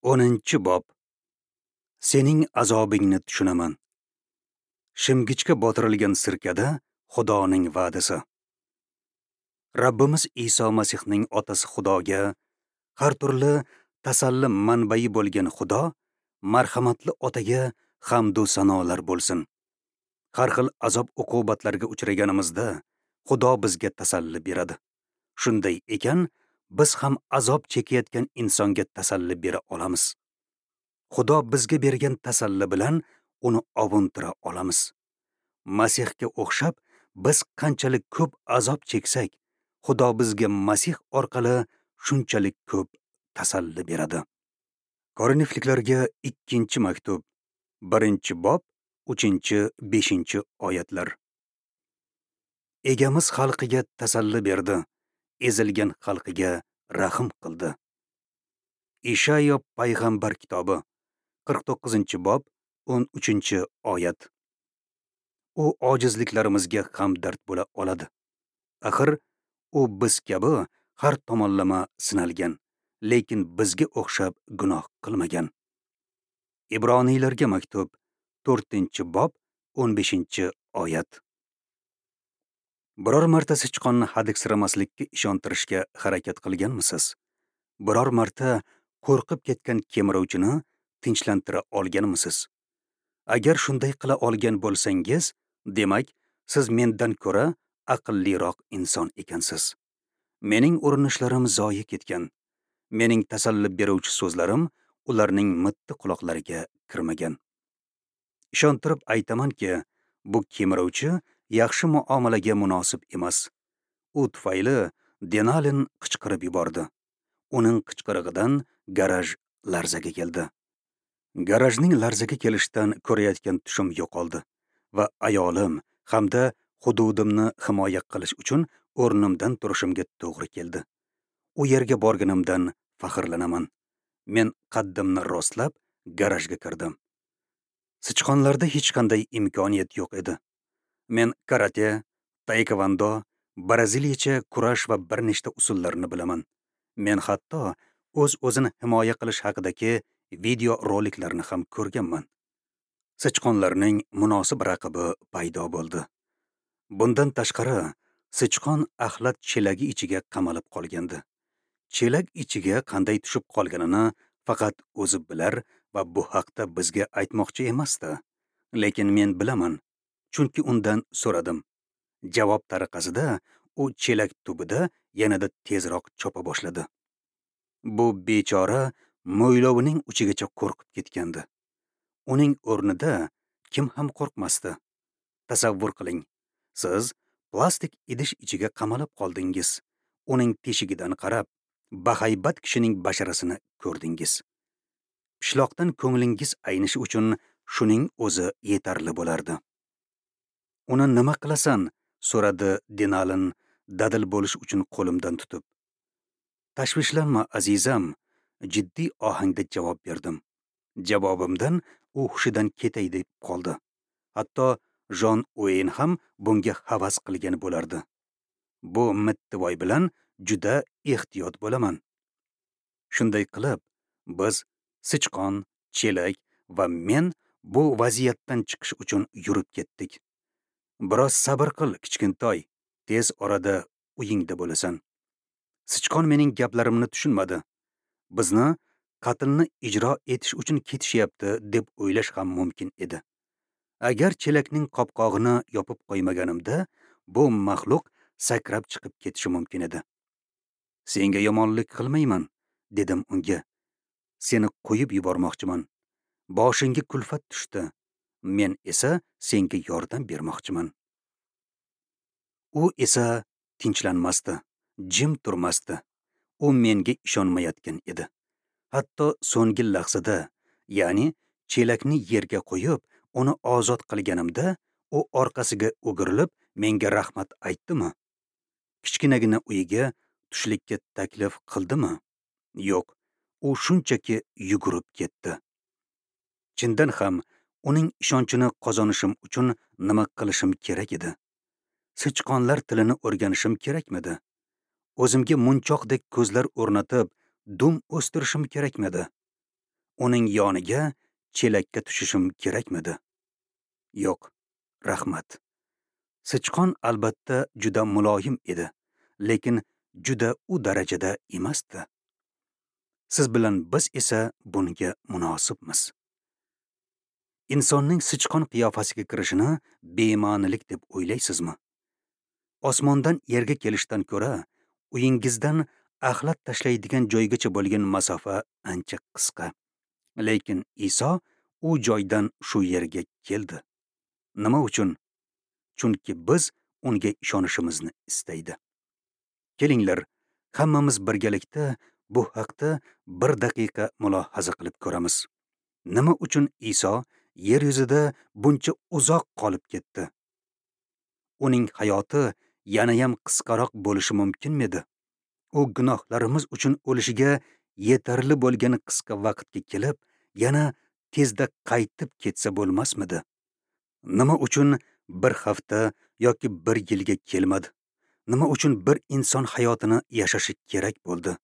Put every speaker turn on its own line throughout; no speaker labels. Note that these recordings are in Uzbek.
10-bob. Sening azobingni tushunaman. Shimgichga botirilgan sirkada Xudoning va'dasi. Rabbimiz Iso Masihning otasi Xudoga, har turli tasalli manbai bo'lgan Xudo, marhamatli otaga hamd va sanolar bo'lsin. Har xil azob uqubatlarga uchraganimizda Xudo bizga tasalli beradi. Shunday ekan, biz ham azob chekayotgan insonga tasalli bera olamiz. Xudo bizga bergan tasalli bilan uni ovuntira olamiz. Masihga o'xshab biz qanchalik ko'p azob cheksak, Xudo bizga Masih orqali shunchalik ko'p tasalli beradi. Korinfliklarga 2-maktub, 1-bob, 3-5 oyatlar. Egamiz xalqiga tasalli berdi, ezilgan xalqiga rahm qildi. Ishayo payg'ambar kitobi, 49-bob, 13-oyat. U ojizliklarimizga hamdard bo'la oladi. Axir u biz kabi har tomonlama sinalgan, lekin bizga o'xshab gunoh qilmagan. Ibroniylarga maktub, 4-bob, 15-oyat. Biror marta sichqonni hadiksiramaslikka ishontirishga harakat qilganmisiz? Biror marta qo'rqib ketgan kemiruvchini tinchlantira olganmisiz? Agar shunday qila olgan bo'lsangiz, demak, siz mendan ko'ra aqlliroq inson ekansiz. Mening urinishlarim zoyi ketgan. Mening tasalli beruvchi so'zlarim ularning mitti quloqlariga kirmagan. Ishontirib aytamanki, bu kemiruvchi yaxshi muomalaga munosib emas. U tufayli Denalin qichqirib yubordi. Uning qichqirig'idan garaj larzaga keldi. Garajning larzaga kelishidan ko'rayotgan tushim yo'qoldi va ayolim hamda hududimni himoya qilish uchun o'rnimdan turishimga to'g'ri keldi. U yerga borganimdan faxrlanaman. Men qaddimni rostlab garajga kirdim. Sichqonlarda hech qanday imkoniyat yo'q edi. Men karate, taekvondo, braziliyacha kurash va bir nechta usullarni bilaman. Men hatto o'z-o'zini himoya qilish haqidagi video roliklarni ham ko'rganman. Sichqonlarning munosib raqibi paydo bo'ldi. Bundan tashqari, sichqon axlat chelagi ichiga qamalib qolgandi. Chelak ichiga qanday tushib qolganini faqat o'zi bilar va bu haqda bizga aytmoqchi emasdi. Lekin men bilaman, chunki undan so'radim. Javob tariqasida u chelak tubida yanada tezroq chopa boshladi. Bu bechora mo'ylovining uchigacha qo'rqib ketgandi. Uning o'rnida kim ham qo'rqmasdi? Tasavvur qiling, siz plastik idish ichiga qamalib qoldingiz. Uning teshigidan qarab, bahaybat kishining basharasini ko'rdingiz. Pishloqdan ko'nglingiz aynishi uchun shuning o'zi yetarli bo'lardi. Uni nima qilasan? So'radi Denalin dadil bo'lish uchun qo'limdan tutib. Tashvishlanma, azizam, jiddiy ohangda javob berdim. Javobimdan u hushidan ketay deb qoldi. Hatto Jon Ueyn ham bunga havas qilgan bo'lardi. Bu mittivoy bilan juda ehtiyot bo'laman. Shunday qilib, biz sichqon, chelak va men bu vaziyatdan chiqish uchun yurib ketdik. Biroz sabr qil, kichkintoy, tez orada uyingda bo'lasan. Sichqon mening gaplarimni tushunmadi. Bizni qatlni ijro etish uchun ketishyapti deb o'ylash ham mumkin edi. Agar chelakning qopqog'ini yopib qo'ymaganimda, bu maxluq sakrab chiqib ketishi mumkin edi. Senga yomonlik qilmayman, dedim unga. Seni qo'yib yubormoqchiman. Boshingga kulfat tushdi. Men esa senga yordam bermoqchiman. U esa tinchlanmasdi, jim turmasdi. U menga ishonmayotgan edi. Hatto so'nggi lahzada, ya'ni chelakni yerga qo'yib, uni ozod qilganimda, u orqasiga o'girilib menga rahmat aytdimi? Kichkinagina uyiga tushlikka taklif qildimi? Yo'q, u shunchaki yugurib ketdi. Chindan ham uning ishonchini qozonishim uchun nima qilishim kerak edi? Sichqonlar tilini o'rganishim kerakmidi? O'zimga munchoqdek ko'zlar o'rnatib, dum o'stirishim kerakmidi? Uning yoniga chelakka tushishim kerakmidi? Yo'q, rahmat. Sichqon albatta juda muloyim edi, lekin juda u darajada emasdi. Siz bilan biz esa bunga munosibmiz. Insonning sichqon qiyofasiga kirishini bema'nilik deb o'ylaysizmi? Osmondan yerga kelishdan ko'ra uyingizdan axlat tashlaydigan joygacha bo'lgan masofa ancha qisqa. Lekin Iso u joydan shu yerga keldi. Nima uchun? Chunki biz unga ishonishimizni istaydi. Kelinglar, hammamiz birgalikda bu haqda bir daqiqa mulohaza qilib ko'ramiz. Nima uchun Iso yer yuzida buncha uzoq qolib ketdi? Uning hayoti yanayam qisqaroq bo'lishi mumkinmidi? U gunohlarimiz uchun o'lishiga yetarli bo'lgan qisqa vaqtga kelib, yana tezda qaytib ketsa bo'lmasmidi? Nima uchun bir hafta yoki bir yilga kelmadi? Nima uchun bir inson hayotini yashashi kerak bo'ldi?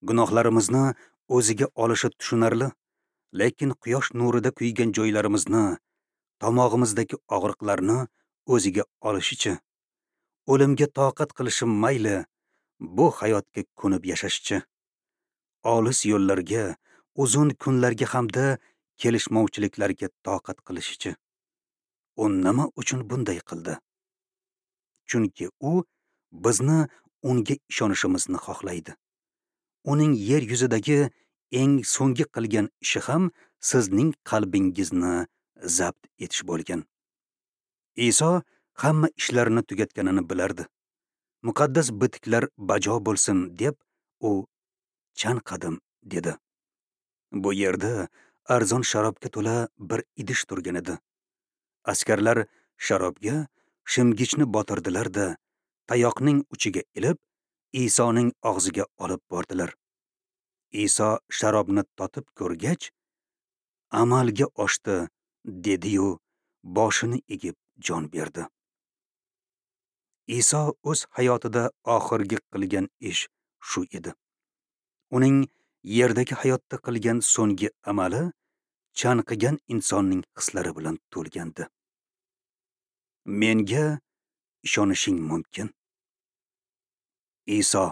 Gunohlarimizni o'ziga olishi tushunarli, lekin quyosh nurida kuygan joylarimizni, tomog'imizdagi og'riqlarni o'ziga olishichi, o'limga toqat qilishi mayli, bu hayotga ko'nib yashashchi, olis yo'llarga, uzun kunlarga hamda kelishmovchiliklarga toqat qilishichi. U nima uchun bunday qildi? Chunki u bizni unga ishonishimizni xohlaydi. Uning yer yuzidagi eng so'nggi qilgan ishi ham sizning qalbingizni zabt etish bo'lgan. Iso hamma ishlarini tugatganini bilardi. Muqaddas bitiklar bajo bo'lsin deb u chanqadim dedi. Bu yerda arzon sharobga to'la bir idish turgan edi. Askarlar sharobga shimgichni botirdilar-da, tayoqning uchiga ilib, Isoning og'ziga olib bordilar. Iso sharobni totib ko'rgach, amalga oshdi dedi-yu, boshini egib jon berdi. Iso o'z hayotida oxirgi qilgan ish shu edi. Uning yerdagi hayotda qilgan so'nggi amali chanqigan insonning hislari bilan to'lgandi. Menga ishonishing mumkin. Iso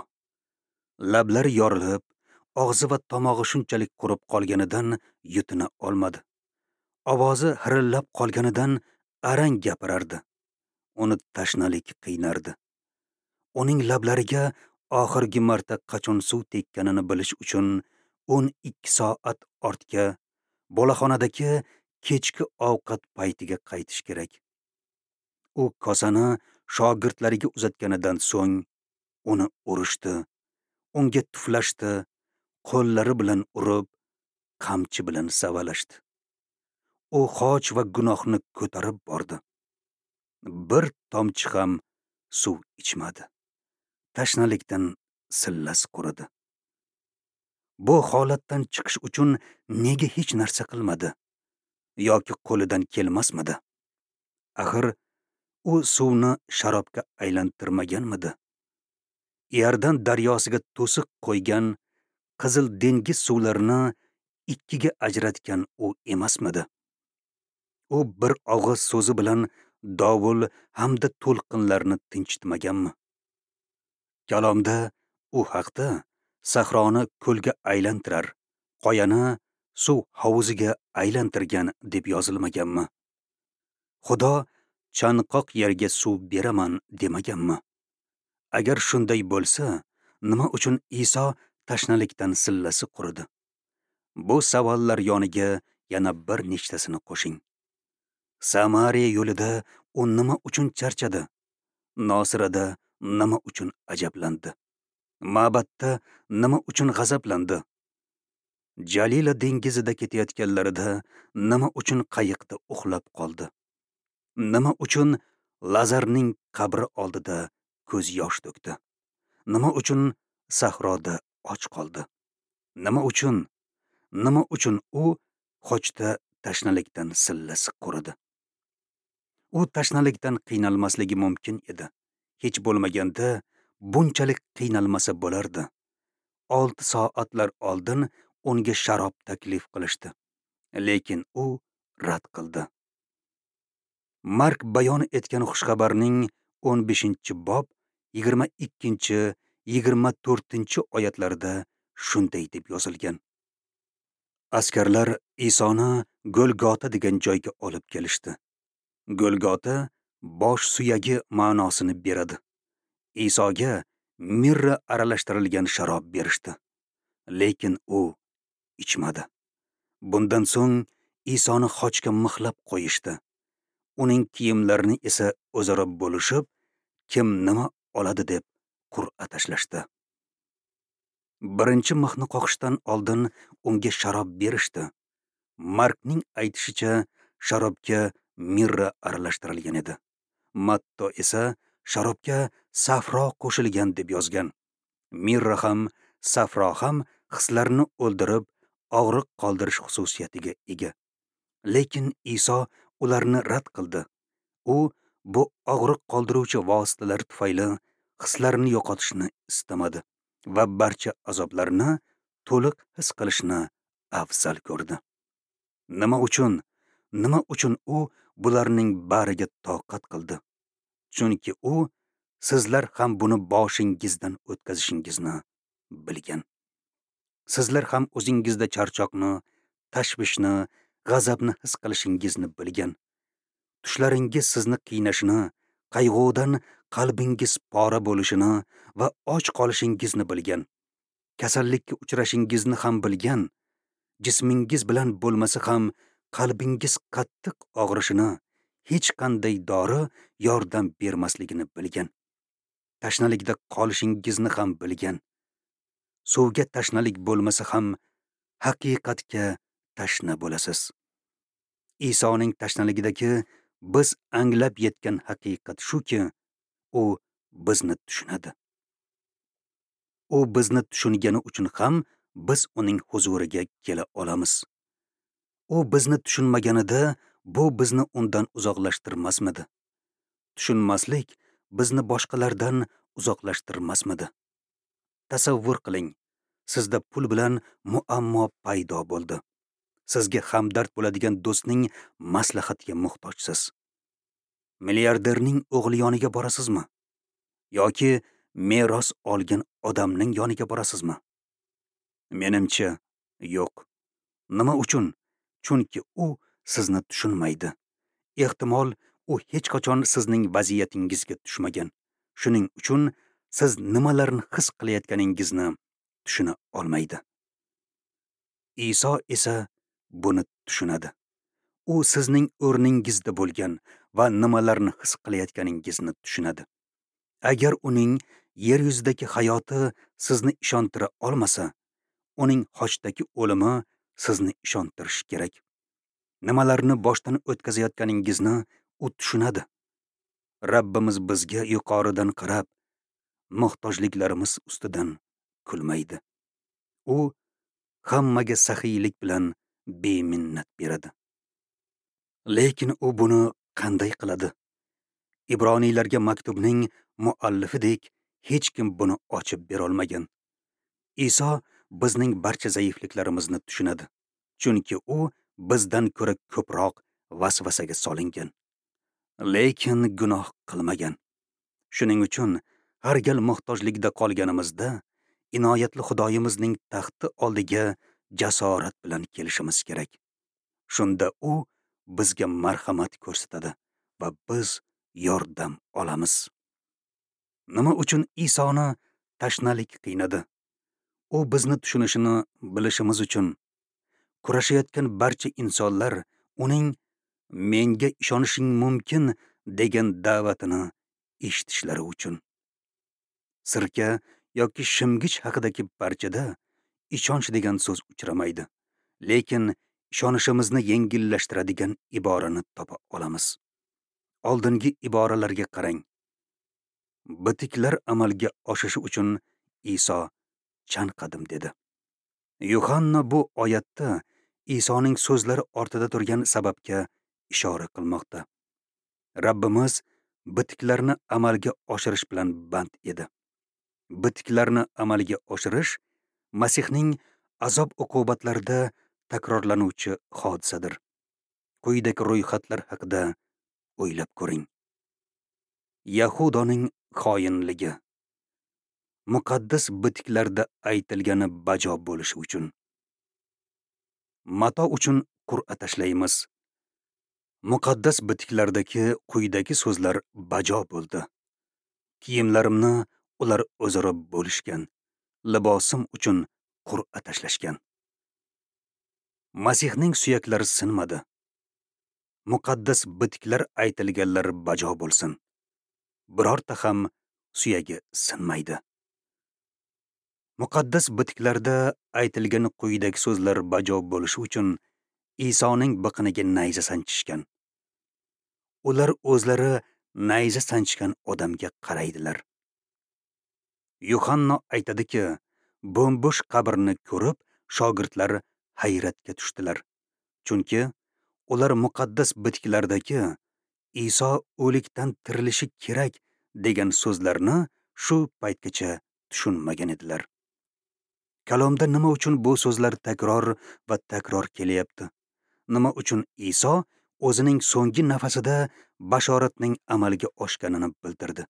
lablari yorilib, og'zi va tomog'i shunchalik qurib qolganidan yutina olmadi. Ovozi hirillab qolganidan arang gapirardi. Uni tashnalik qiynardi. Uning lablariga oxirgi marta qachon suv tekkanini bilish uchun 12 soat ortga, boloxonadagi kechki ovqat paytiga qaytish kerak. U kosani shogirdlariga uzatganidan so'ng uni urishdi, unga tuflashdi, qo'llari bilan urib, qamchi bilan savalashdi. U xoch va gunohni ko'tarib bordi. Bir tomchi ham suv ichmadi. Tashnalikdan sillasi quridi. Bu holatdan chiqish uchun nega hech narsa qilmadi? Yoki qo'lidan kelmasmidi? Axir u suvni sharobga aylantirmaganmidi? Iordan daryosiga to'siq qo'ygan, Qizil dengiz suvlarini ikkiga ajratgan u emasmidi? U bir og'iz so'zi bilan dovul hamda to'lqinlarni tinchitmaganmi? Kalomda u haqda sahroni ko'lga aylantirar, qoyani suv hovuziga aylantirgan deb yozilmaganmi? Xudo chanqoq yerga suv beraman demaganmi? Agar shunday bo'lsa, nima uchun Iso tashnalikdan sillasi quridi? Bu savollar yoniga yana bir nechtasini qo'shing. Samariya yo'lida u nima uchun charchadi? Nosirada nima uchun ajablandi? Ma'batda nima uchun g'azablandi? Jalila dengizida ketayotganlarida nima uchun qayiqda uxlab qoldi? Nima uchun Lazarning qabri oldida ko'z yosh to'kdi? Nima uchun sahroda och qoldi? Nima uchun? Nima uchun u xochda tashnalikdan sillasi quridi? U tashnalikdan qiynalmasligi mumkin edi. Hech bo'lmaganda bunchalik qiynalmasa bo'lardi. 6 soatlar oldin unga sharob taklif qilishdi, lekin u rad qildi. Mark bayon etgan xushxabarning 15-bob 22-24 oyatlarida shunday deb yozilgan. Askarlar Isoni Golgota degan joyga olib kelishdi. Golgota bosh suyagi ma'nosini beradi. Isoga mirra aralashtirilgan sharob berishdi, lekin u ichmadi. Bundan so'ng Isoni xochga mixlab qo'yishdi. Uning kiyimlarini esa o'zaro bo'lishib, kim nima oladi deb qur'a tashlashdi. Birinchi mixni qoqishdan oldin unga sharob berishdi. Markning aytishicha, sharobga mirra aralashtirilgan edi. Matto esa sharobga safro qo'shilgan deb yozgan. Mirra ham, safro ham hislarni o'ldirib, og'riq qoldirish xususiyatiga ega. Lekin Iso ularni rad qildi. U bu og'riq qoldiruvchi vositalar tufayli hislarni yo'qotishni istamadi va barcha azoblarni to'liq his qilishni afzal ko'rdi. Nima uchun? Nima uchun u bularning bariga toqat qildi? Chunki u sizlar ham buni boshingizdan o'tkazishingizni bilgan. Sizlar ham o'zingizda charchoqni, tashvishni, g'azabni his qilishingizni bilgan. Tushlaringiz sizni qiynashini, qayg'udan qalbingiz pora bo'lishini va och qolishingizni bilgan. Kasallikka uchrashingizni ham bilgan. Jismingiz bilan bo'lmasa ham qalbingiz qattiq og'rishini, hech qanday dori yordam bermasligini bilgan. Tashnalikda qolishingizni ham bilgan. Suvga tashnalik bo'lmasa ham haqiqatga tashna bo'lasiz. Isoning tashnaligidagi biz anglab yetgan haqiqat shuki, u bizni tushunadi. U bizni tushungani uchun ham biz uning huzuriga kela olamiz. U bizni tushunmaganida bu bizni undan uzoqlashtirmasmidi? Tushunmaslik bizni boshqalardan uzoqlashtirmasmidi? Tasavvur qiling, sizda pul bilan muammo paydo bo'ldi. Sizga hamdard bo'ladigan do'stning maslahatiga muhtojsiz. Milliarderning o'g'li yoniga borasizmi? Yoki meros olgan odamning yoniga borasizmi? Menimcha, yo'q. Nima uchun? Chunki u sizni tushunmaydi. Ehtimol, u hech qachon sizning vaziyatingizga tushmagan. Shuning uchun siz nimalarni his qilayotganingizni tushuna olmaydi. Iso esa buni tushunadi. U sizning o'rningizda bo'lgan va nimalarni his qilayotganingizni tushunadi. Agar uning yer yuzidagi hayoti sizni ishontira olmasa, uning xochdagi o'limi sizni ishontirishi kerak. Nimalarni boshdan o'tkazayotganingizni u tushunadi. Rabbimiz bizga yuqoridan qarab, muhtojliklarimiz ustidan kulmaydi. U hammaga saxiylik bilan beminnat beradi. Lekin u buni qanday qiladi? Ibroniylarga maktubning muallifidek hech kim buni ochib bera olmagan. Iso bizning barcha zaifliklarimizni tushunadi, chunki u bizdan ko'ra ko'proq vasvasaga solingan, lekin gunoh qilmagan. Shuning uchun har gal muhtojlikda qolganimizda inoyatli Xudoyimizning taxti oldiga jasorat bilan kelishimiz kerak. Shunda u bizga marhamat ko'rsatadi va biz yordam olamiz. Nima uchun Isoni tashnalik qiynadi? U bizni tushunishini bilishimiz uchun. Kurashayotgan barcha insonlar uning menga ishonishing mumkin degan da'vatini eshitishlari uchun. Sirka yoki shimgich haqidagi parchada ishonch degan so'z uchramaydi, lekin ishonishimizni yengillashtiradigan iborani topa olamiz. Oldingi iboralarga qarang. Bitiklar amalga oshishi uchun Iso chanqadim dedi. Yuhanna bu oyatda Isoning so'zlari ortida turgan sababga ishora qilmoqda. Rabbimiz bitiklarni amalga oshirish bilan band edi. Bitiklarni amalga oshirish Masihning azob-uqubatlarda takrorlanuvchi hodisadir. Quyidagi ro'yxatlar haqida o'ylab ko'ring. Yahudoning xoinligi. Muqaddas bitiklarda aytilgani bajo bo'lishi uchun. Mato uchun qur'a tashlaymiz. Muqaddas bitiklardagi quyidagi so'zlar bajo bo'ldi. Kiyimlarimni ular o'zaro bo'lishgan, libosim uchun qur'a tashlashgan. Masihning suyaklari sinmadi. Muqaddas bitiklar aytilganlar bajo bo'lsin. Birorta ham suyagi sinmaydi. Muqaddas bitiklarda aytilgan quyidagi so'zlar bajo bo'lishi uchun Isoning biqiniga nayza sanchishgan. Ular o'zlari nayza sanchgan odamga qaraydilar. Yuhanno aytadiki, bo'm-bo'sh qabrni ko'rib, shogirdlar hayratga tushdilar. Chunki ular muqaddas bitiklardagi Iso o'likdan tirilishi kerak degan so'zlarni shu paytgacha tushunmagan edilar. Kalomda nima uchun bu so'zlar takror va takror kelyapti? Nima uchun Iso o'zining so'nggi nafasida bashoratning amalga oshganini bildirdi?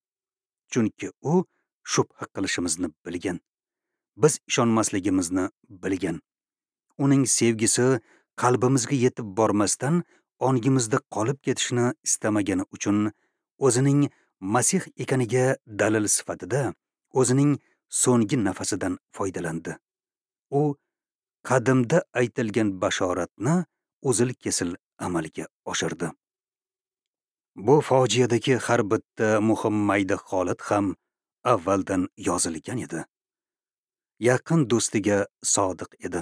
Chunki u shubha qilishimizni bilgan. Biz ishonmasligimizni bilgan. Uning sevgisi qalbimizga yetib bormasdan ongimizda qolib ketishini istamagani uchun o'zining Masih ekaniga dalil sifatida o'zining so'nggi nafasidan foydalandi. U qadimda aytilgan bashoratni uzil-kesil amalga oshirdi. Bu fojiadagi har bitta muhim mayda holat ham avvaldan yozilgan edi. Yaqin do'stiga sodiq edi.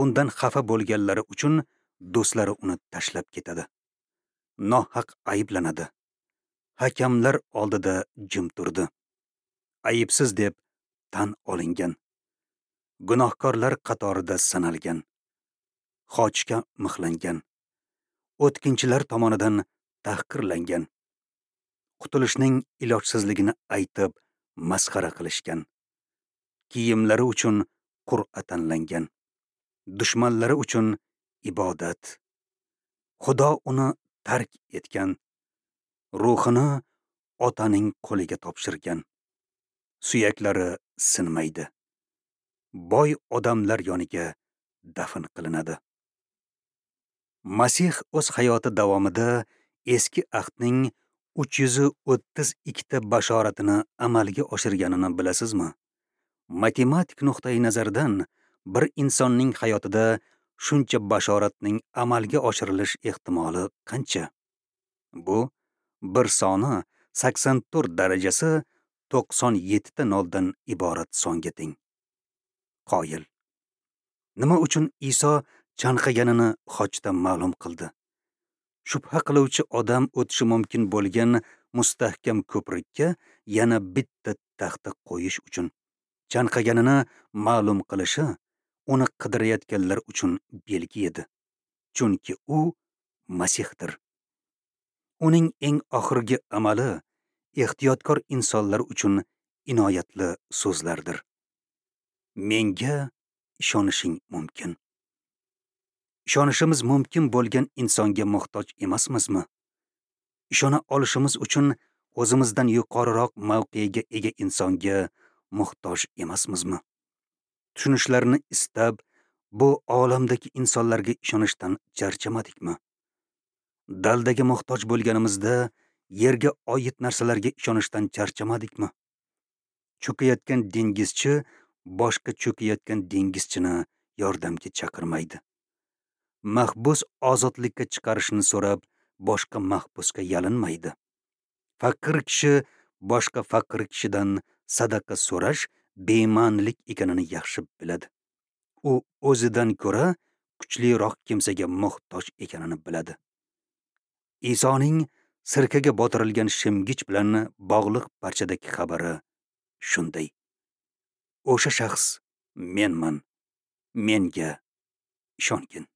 Undan xafa bo'lganlari uchun do'stlari uni tashlab ketadi. Nohaq ayblanadi. Hakamlar oldida jim turdi. Aybsiz deb tan olingan. Gunohkorlar qatorida sanalgan. Xochga mixlangan. O'tkinchilar tomonidan tahqirlangan. Qutulishning ilojsizligini aytib masxara qilishgan. Kiyimlari uchun qur'a tanlangan. Dushmanlari uchun ibodat. Xudo uni tark etgan. Ruhini otaning qo'liga topshirgan. Suyaklari sinmaydi. Boy odamlar yoniga dafn qilinadi. Masih o'z hayoti davomida eski ahdning 332 ta bashoratini amalga oshirganini bilasizmi? Matematik nuqtai nazardan bir insonning hayotida shuncha bashoratning amalga oshirilish ehtimoli qancha? Bu bir soni 84 darajasi 97 ta noldan iborat songa teng. Qoyil. Nima uchun Iso chanqaganini xochda ma'lum qildi? Shubha qiluvchi odam o'tishi mumkin bo'lgan mustahkam ko'prikka yana bitta taxta qo'yish uchun. Chanqaganini ma'lum qilishi uni qidirayotganlar uchun belgi edi. Chunki u Masihdir. Uning eng oxirgi amali ehtiyotkor insonlar uchun inoyatli so'zlardir. Menga ishonishing mumkin. Ishonishimiz mumkin bo'lgan insonga muhtoj emasmizmi? Ishona olishimiz uchun o'zimizdan yuqoriroq mavqega ega insonga muhtoj emasmizmi? Tushunishlarini istab, bu olamdagi insonlarga ishonishdan charchamadikmi? Daldaga muhtoj bo'lganimizda yerga oid narsalarga ishonishdan charchamadikmi? Cho'kayotgan dengizchi boshqa cho'kayotgan dengizchini yordamga chaqirmaydi. Mahbus ozodlikka chiqarishni so'rab boshqa mahbusga yalinmaydi. Faqir kishi boshqa faqir kishidan sadaqa so'rash bema'nilik ekanini yaxshi biladi. U o'zidan ko'ra kuchliroq kimsaga muhtoj ekanini biladi. Isoning sirkaga botirilgan shimgich bilan bog'liq parchadagi xabari shunday. O'sha shaxs menman. Menga ishongin.